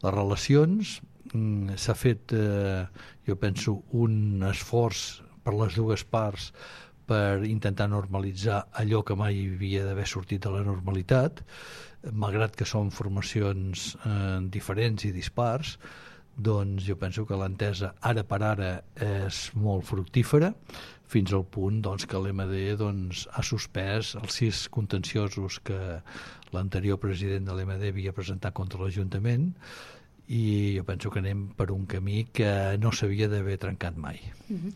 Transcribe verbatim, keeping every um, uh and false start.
les relacions. Mm, s'ha fet, eh, jo penso, un esforç per les dues parts per intentar normalitzar allò que mai havia d'haver sortit de la normalitat, malgrat que són formacions eh, diferents i dispars. Doncs jo penso que l'entesa ara per ara és molt fructífera, fins al punt doncs, que l'M D doncs, ha suspès els sis contenciosos que l'anterior president de l'M D havia presentat contra l'Ajuntament, i jo penso que anem per un camí que no s'havia d'haver trencat mai. Mm-hmm.